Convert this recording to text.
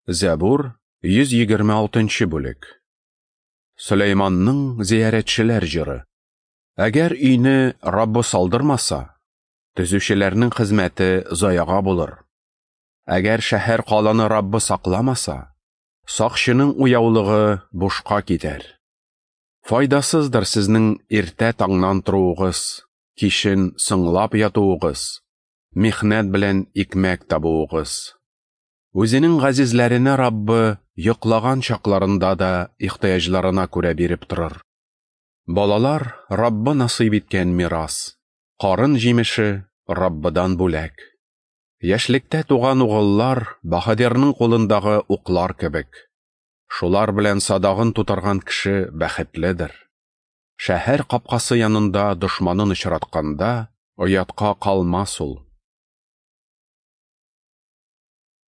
Зәбур, 126 бүлек. Сөләйманның зиярәтчеләр җыры. Әгәр өйне Раббы салдырмаса, төзүчеләрнең хезмәте заяга булыр. Әгәр шәһәр каланы Раббы сакламаса, сакчының уяулыгы бушка китәр. Файдасыздыр сезнең иртә таңнан торуыгыз, кичен соңлап ятуыгыз, михнәт белән икмәк табуыгыз. Үзенең газизләренә Раббы йоклаган чакларында да ихтыяҗларына күрә биреп торыр. Балалар Раббы насыйп иткән мирас, карын җимеше Раббыдан бүләк. Яшьлектә туган угыллар баһадирның кулындагы уклар кебек. Шулар белән садагын тутырган кеше бәхетледер. Шәһәр капкасы янында дошманын очратканда, оятка калмас ул.